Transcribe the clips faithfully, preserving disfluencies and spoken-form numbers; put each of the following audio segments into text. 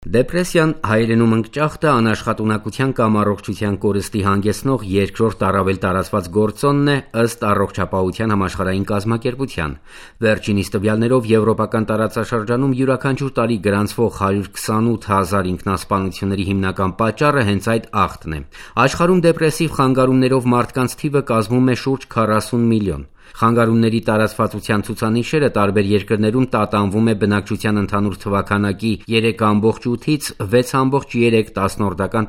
Դեպրեսիան հայերենում ընկճախտը անաշխատունակության կամ առողջության կորստի հանգեցնող երկրորդ առավել տարածված գործոնն է ըստ Առողջապահության համաշխարհային կազմակերպության։ Վերջինիս տվյալներով եվրոպական տարածաշրջանում յուրաքանչյուր տարի գրանցվող հարյուր քսանութ հազար ինքնասպանությունների հիմնական պատճառը հենց այդ ախտն է։ Աշխարհում դեպրեսիվ խանգարումներով մարդկանց թիվը կազմում է շուրջ քառասուն միլիոն։ Խանգարումների տարածվածության ցուցանիշերը տարբեր երկրներում տատանվում է բնակչության ընդհանուր թվաքանակի երեք ամբողջ ութից վեց ամբողջ երեք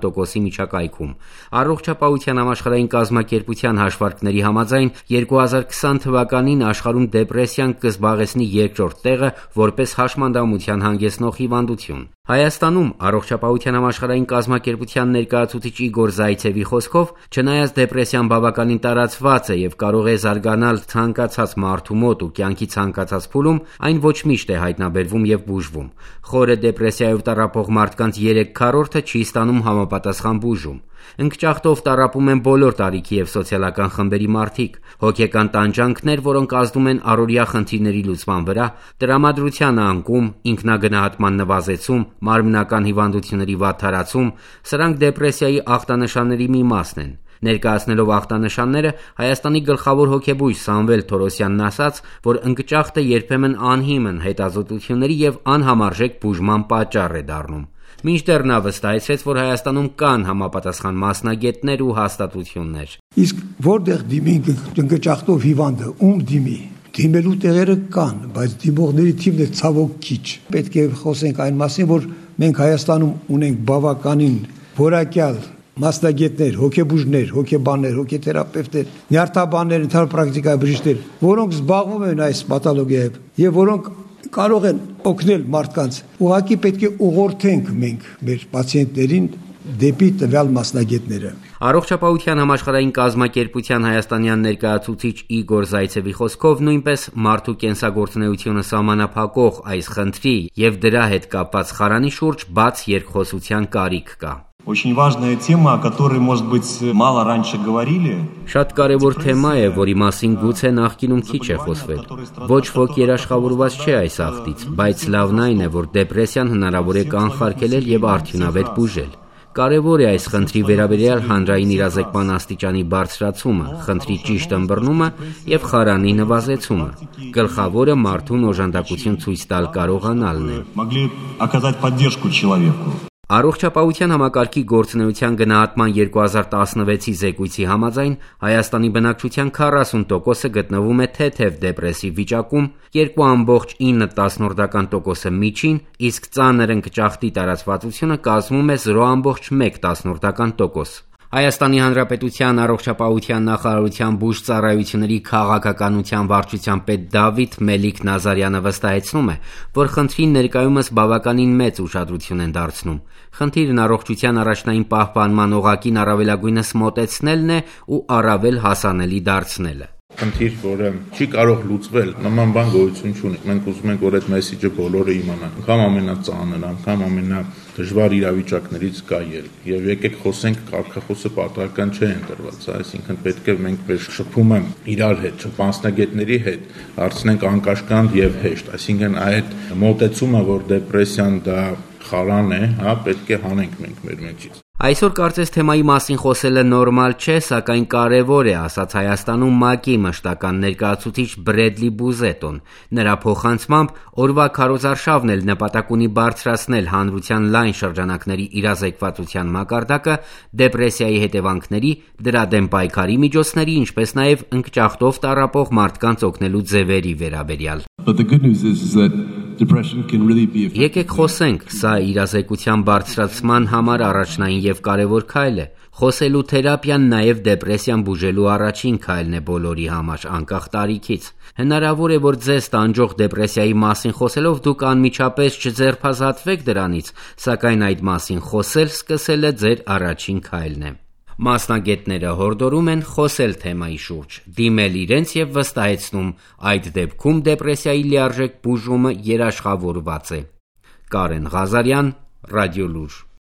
տոկոսի միջակայքում։ Առողջապահության համաշխարհային կազմակերպության հաշվարկների համաձայն երկու հազար քսան թվականին աշխարհում դեպրեսիան կզբաղեցնի երկրորդ տեղը որպես հաշմանդամության հանգեցնող հիվանդություն։ Հայաստանում Առողջապահության համաշխարհային կազմակերպության ներկայացուցիչ Իգոր Զայցևի խոսքով, չնայած դեպրեսիան բավականին տարածված է եւ կարող է զարգանալ ցանկացած մարդու մոտ ու կյանքի ցանկացած փուլում, այն ոչ միշտ է հայտնաբերվում եւ բուժվում։ Խորը դեպրեսիայով տառապող մարդկանց երեք քառորդը չի ստանում համապատասխան բուժում։ Ընկճախտով տառապում են բոլոր տարիքի եւ սոցիալական խմբերի մարդիկ։ Հոգեկան տանջանքներ, որոնք ազդում են առօրյա խնդիրների լուծման վրա, տրամադրության անկում, ինքնագնահատման նվազեցում, մարմնական հիվանդությունների վատթարացում, սրանք դեպրեսիայի ախտանշանների մի մասն են։ Ներկայացնելով ախտանշանները, Հայաստանի գլխավոր հոգեբույժ Սամվել Թորոսյանն ասաց, որ ընկճախտը երբեմն անհիմն հետազոտությունների եւ անհամարժեք բուժման պատճառ է դառնում։ Մինչդեռ նա վստահեցրեց, որ Հայաստանում կան համապատասխան մասնագետներ ու հաստատություններ։ Իսկ որտեղ դիմի ընկճախտով հիվանդը, ում դիմի։ Դիմելու տեղերը կան, բայց դիմողների թիվն է ցավոք քիչ։ Պետք է խոսենք այն մասին, որ մենք Հայաստանում ունենք բավականին որակյալ մասնագետներ, հոգեբուժներ, հոգեբաններ, հոգեթերապևտներ, նյարդաբաններ, ընդհանուր պրակտիկայի բժիշկներ, որոնք զբաղվում են այս պաթոլոգիայով եւ որոնք կարող են օգնել մարդկանց։ Ուղղակի պետք է ուղղորդենք մենք մեր պացիենտներին դեպի տվյալ մասնագետները։ Առողջապահության համաշխարհային կազմակերպության հայաստանյան ներկայացուցիչ Իգոր Զայցևի խոսքով նույնպես մարդու կենսագործունեությունը սահմանափակող այս խնդրի եւ դրա հետ կապված խարանի շուրջ բաց երկխոսության կարիք կա։ Очень важная тема, о которой, может быть, мало раньше говорили. Շատ կարևոր թեմա է, որի մասին գուցե նախկինում քիչ է խոսվել։ Ոչ ոք երաշխավորված չէ այս ախտից, բայց լավն այն է, որ դեպրեսիան հնարավոր է կանխարգելել եւ արդյունավետ բուժել։ Կարևոր է այս խնդրի վերաբերյալ հանրային իրազեկման աստիճանի բարձրացումը, խնդրի ճիշտ ըմբռնումը եւ խարանի նվազեցումը։ Գլխավորը մարդուն օժանդակություն ցույց տալ կարողանալն է։ Առողջապահության համակարգի գործունեության գնահատման երկու հազար տասնվեցի զեկույցի համաձայն Հայաստանի բնակչության քառասուն տոկոսը գտնվում է թեթև դեպրեսիվ վիճակում, երկու ամբողջ ինը տասնորդական միջին, իսկ ծանր ընկճախտի տարածվածությունը կազմում է զրո ամբողջ մեկ տասնորդական։ Հայաստանի Հանրապետության առողջապահության նախարարության բուժծառայությունների քաղաքականության վարչության պետ Դավիթ Մելիք Նազարյանը վստահեցնում է, որ խնդրին ներկայումս բավականին մեծ ուշադրություն են դարձնում։ Խնդիրն առողջության առաջնային պահպանման օղակին առավելագույնս մոտեցնելն է ու առավել հասանելի դարձնելը։ Խնդիր, որը չի կարող լուծվել, նման բան գոյություն չունի։ Մենք ուզում ենք, որ այդ մեսիջը բոլորը իմանան։ Անգամ ամենածանր, անգամ ամենադժվար իրավիճակներից կա ելք։ Եվ եկեք խոսենք, կարգախոսը պատահական չէ ընտրված, այսինքն պետք է մենք մեր շփումը իրար հետ, մասնագետների հետ հարցնենք անկաշկանդ եւ հեշտ, այսինքն այդ մոտեցումը, որ դեպրեսիան դա խարան է, հա, պետք է հանենք մենք մեր մեջից։ Այսօր կարծես թեմայի մասին խոսելը նորմալ չէ, սակայն կարևոր է, ասաց Հայաստանում ՄԱԿ-ի մշտական ներկայացուցիչ Բրեդլի Բուզետոն։ Նրա փոխանցմամբ օրվա քարոզարշավն էլ նպատակ ունի բարձրացնել հանրության լայն շրջանակների իրազեկվածության մակարդակը դեպրեսիայի հետևանքների, դրա դեմ պայքարի միջոցների, ինչպես նաև ընկճախտով տառապող մարդկանց օգնելու ձևերի վերաբերյալ։ Եկեք խոսենք, սա իրազեկության բարձրացման համար առաջնային եւ կարևոր քայլ է։ Խոսելու թերապիան նաև դեպրեսիան բուժելու առաջին քայլն է բոլորի համար, անկախ տարիքից։ Հնարավոր է, որ ձեզ տանջող դեպրեսիայի մասին խոսելով դուք անմիջապես չձերբազատվեք դրանից, սակայն այդ մասին խոսել սկսելը ձեր առաջին քայլն է։ Մասնագետները հորդորում են խոսել թեմայի շուրջ, դիմել իրենց եւ վստահեցնում, այդ դեպքում դեպրեսիայի լիարժեք բուժումը երաշխավորված է։ Կարեն Ղազարյան, Ռադիոլուր։